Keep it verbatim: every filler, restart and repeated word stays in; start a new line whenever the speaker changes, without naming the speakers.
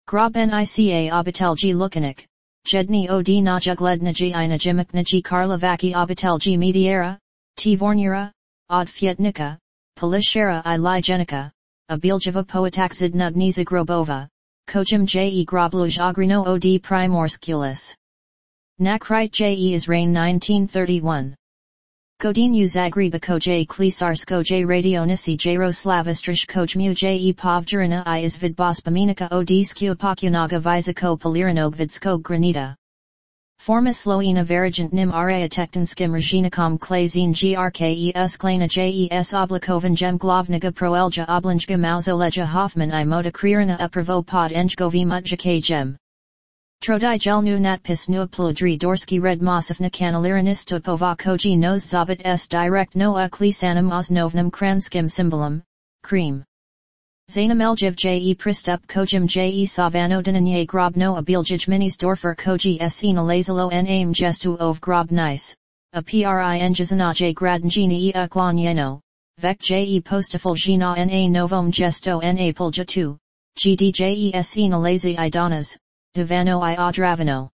Grob nica obitelji lukanik, jedni od najugledniji I najimikniji karlovaki obitelji mediera, tvornira, od fietnika, polishera I ligenika, abiljava poetaxid nugniza grobova, kojim je grobluj ogrino od primorskulis. Nakrite je is rain nineteen thirty-one. Godin uzagriba koj klisarsko radionisi jaroslavistrish kojmu je povjerina I is vidbospomenika od skupokunaga vizako poliranog granita. Formisloina varigant nim area tektanskim rajinikom klazin grke usklana jes oblikovan jem glavniga proelja oblinjga mauzoleja hoffman I moda kririna upravo pod njgovi mutjake jem. Trodi jelnu natpis nu plodri dorski red mosifna kanaliranisto koji nos zabit s direct no uklisanam osnovnum kranskim symbolum, cream. Zainameljiv je pristup kojim je savano dinanye grobno abiljij minisdorfer koji se nalazilo n aim gestu ov grob nice, a prin jazanaje gradnjini e uklonyeno, vek je postifuljina na novom gesto na polja tu, gdje se nalazi I donas, divano I odravano.